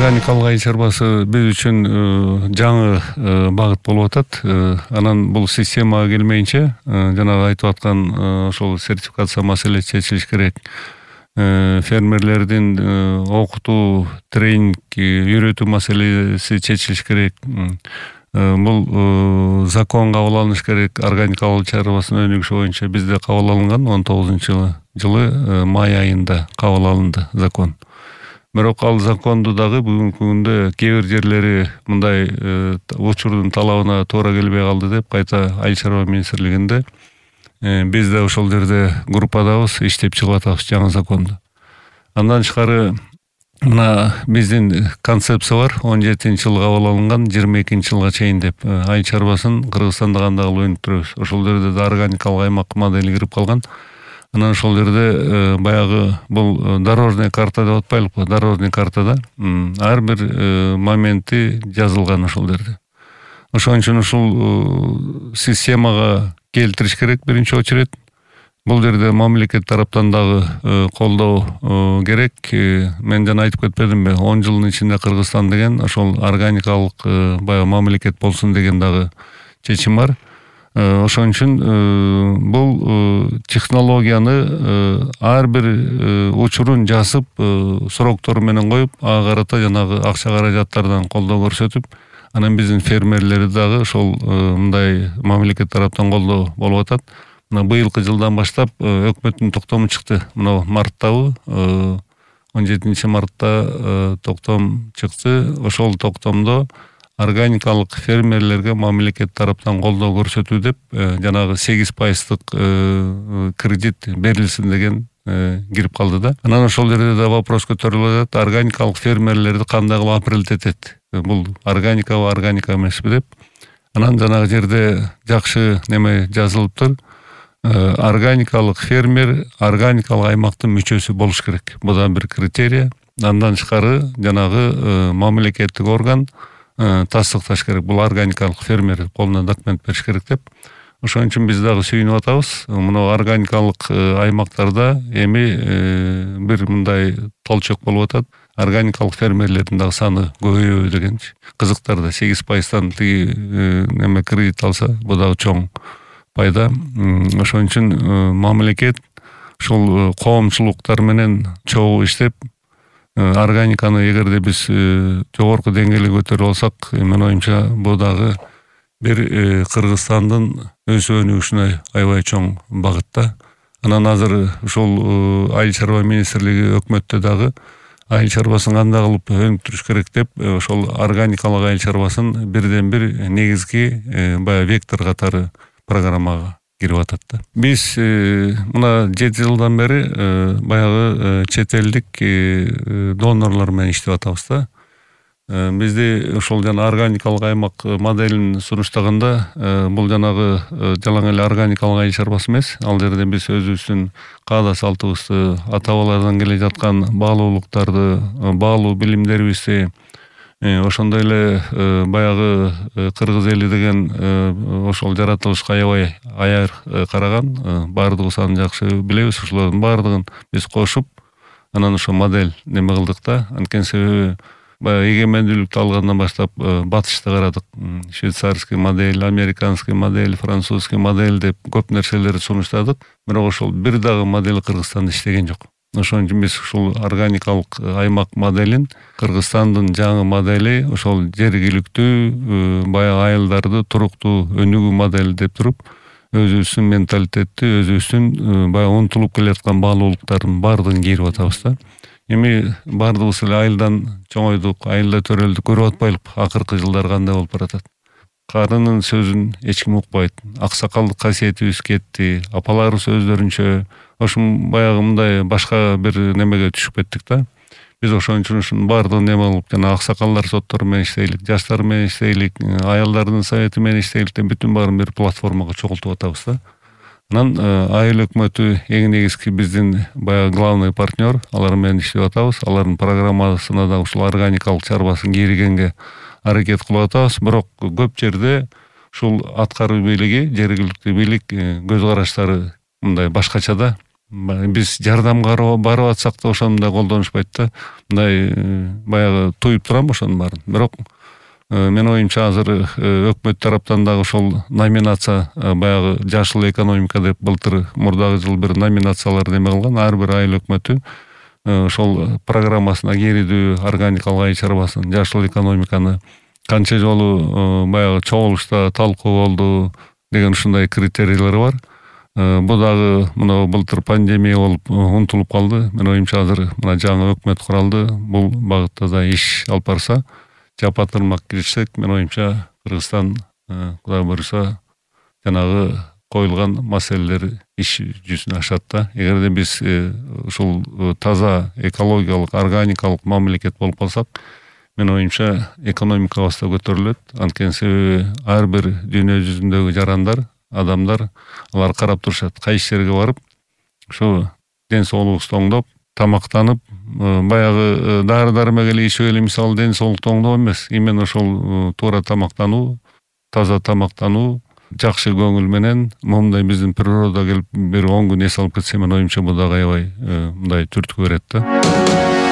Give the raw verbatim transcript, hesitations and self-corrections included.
Органикалык айыл чарбасы биз үчүн жаңы багыт болуп атат. Анан бул системага келмейинче, жанагы айтып аткан ошол сертификация маселеси чечилиш керек. Фермерлердин окутуу, тренинг, үйрөтүү маселеси чечилиш керек. Бул закон кабыл алыныш керек. Органикалык чарбасынын өнүгүшү боюнча бизде кабыл алынган он тогузунчу жылы май айында кабыл алынды закон. Бирок ал законду дагы бүгүнкү күндө кээ бир жерлери мындай учурдун талабына туура келбей калды деп кайта айыл чарба министрлигинде биз да ошол жерде группадабыз, иштеп чыгып атабыз жаңы законду. Андан тышкары мына биздин концепция бар, он жетинчи жылы кабыл алынган, жыйырма экинчи жылга чейин деп айыл чарбасын Кыргызстанда кандай кылып өнүктүрөбүз. Ошол жерде да органикалык аймак модели кирип калган. Анан ошол жерде баягы бул дорожный карта деп атпайлыкпы? Дорожный картада ар бир моменти жазылган ошол жерде. Ошон үчүн ушул системага келтириш керек биринчи очередь. Бул жерде мамлекет тараптан дагы колдоо керек. Мен жана айтып кетпедимби? он жылдын ичинде Кыргызстан деген ошол органикалык баягы мамлекет болсун деген дагы чечим бар. Ошон үчүн бул технологияны ар бир учурун жазып, сроктору менен коюп, ага карата жанагы акча каражаттардан колдоо көрсөтүп, анан биздин фермерлерди дагы ошол мындай мамлекет тараптан колдоо болуп атат. Мына быйылкы жылдан баштап өкмөттүн токтому чыкты. Мына марттабы, он жетинчи мартта токтом чыкты. Ошол токтомдо органикалык фермерлерге мамлекет тараптан колдоо көрсөтүү деп жанагы сегиз пайыздык кредит берилсин деген кирип калды да. Анан ошол жерде да вопрос көтөрүлүп атат. Органикалык фермерлерди кандай кылып апрелт этет? Бул органикабы, органика эмеспи деп. Анан жанагы жерде жакшы неме жазылыптыр. Органикалык фермер органикалык аймактын мүчөсү болуш керек. Бул да бир критерий. Андан тышкары жанагы мамлекеттик орган тастыкташ керек. Бул органикалык фермер колуна документ бериш керек деп. Ошон үчүн биз дагы сүйүнүп атабыз. Мына органикалык аймактарда эми бир мындай толчок болуп атат. Органикалык фермерлердин дагы саны көбөйөбү дегенчи. Кызыктар да сегиз пайыздан тиги неме кредит алса, бул дагы чоң пайда. Ошон үчүн мамлекет ушул коомчулуктар менен чогуу иштеп, органиканы эгерде биз жогорку деңгээлге көтөрүп алсак, менин оюмча бул дагы бир Кыргызстандын өсүп өнүгүшүнө аябай чоң багытта. Анан азыр ушул айыл чарба министрлиги өкмөттө дагы айыл чарбасын кандай кылып өнүктүрүш керек деп, ошол органикалык айыл чарбасын бирден бир негизги баягы вектор катары программага кирип атат да. Биз мына жети жылдан бери баягы чет элдик донорлор менен иштеп атабыз да. Бизде ошол жана органикалык аймак моделин сунуштаганда бул жанагы жалаң эле органикалык айыл чарбасы эмес. Ал жерде биз өзүбүздүн каада салтыбызды, ата бабалардан келе жаткан баалуулуктарды, баалуу билимдерибизди, ошондой эле баягы кыргыз эли деген ошол жаратылышка аябай аяр караган, баардыгыбыз аны жакшы билебиз. Ошолордун баардыгын биз кошуп, анан ошо модель неме кылдык да. Анткени себеби баягы эгемендүүлүктү алгандан баштап батышты карадык. Швейцарский модель, американский модель, французский модель деп көп нерселерди сунуштадык. Бирок ошол бир дагы модель Кыргызстанда иштеген жок. Ошон үчүн биз ушул органикалык аймак моделин, Кыргызстандын жаңы модели, ошол жергиликтүү баягы айылдарды туруктуу өнүгүү модели деп туруп, өзүбүздүн менталитетти, өзүбүздүн баягы унутулуп келаткан баалуулуктардын баардыгын кийирип атабыз да. Эми баардыгыбыз эле айылдан чоңойдук, айылда төрөлдүк, көрүп атпайлыкпы акыркы жылдар кандай болуп баратат. Карынын сөзүн эч ким укпайт. Аксакалдык касиетибиз кетти. Апаларыбыз өздөрүнчө ошун баягы мындай башка бир немеге түшүп кеттик да. Биз ошон үчүн ушунун баардыгын неме кылып, жана аксакалдар соттору менен иштейлик, жаштар менен иштейлик, аялдардын совети менен иштейлик деп бүтүн баарын бир платформага чогултуп атабыз да. Анан айыл өкмөтү эң негизги биздин баягы главный партнер, алар менен иштеп атабыз. Алардын программасына да ушул органикалык чарбасын киргизгенге аракет кылып атабыз. Бирок көп жерде ушул аткаруу бийлиги, жергиликтүү бийлик көз караштары мындай башкача да. биз жардамга барып атсак да ошондой колдонушпайт да. Мындай баягы туюп турам ошонун баарын. Бирок менин оюмча азыр өкмөт тараптан дагы ошол номинация баягы жашыл экономика деп былтыр мурдагы жыл бир номинациялар неме кылган. Ар бир айыл өкмөтү ошол программасына кирүүдү, органикалык айыл чарбасын, жашыл экономиканы канча жолу баягы чогулушта талкуу болду деген ушундай критерийлер бар. Бу дагы мына былтыр пандемия болуп унутулуп калды. Менин оюмча азыр мына жаңы өкмөт куралды. Бул багытта да иш алып барса, жапа-тырмак киришсек, менин оюмча Кыргызстан Кудай буйруса жанагы коюлган маселелер иш жүзүнө ашат да. Эгерде биз ушул таза экологиялык, органикалык мамлекет болуп калсак, менин оюмча экономикабыз да көтөрүлөт. Анткени себеби ар бир дүйнө жүзүндөгү жарандар, адамдар алар карап турушат. Кайсы жерге барып, ушу ден соолугубузду оңдоп, тамактанып, баягы дары-дармек эле ичип эле мисалы ден соолукту оңдоо эмес. Именно ошол туура тамактануу, таза тамактануу, жакшы көңүл менен момундай биздин природа келип бир он күн эс алып кетсе, менин оюмча бул дагы аябай мындай түрткү берет да.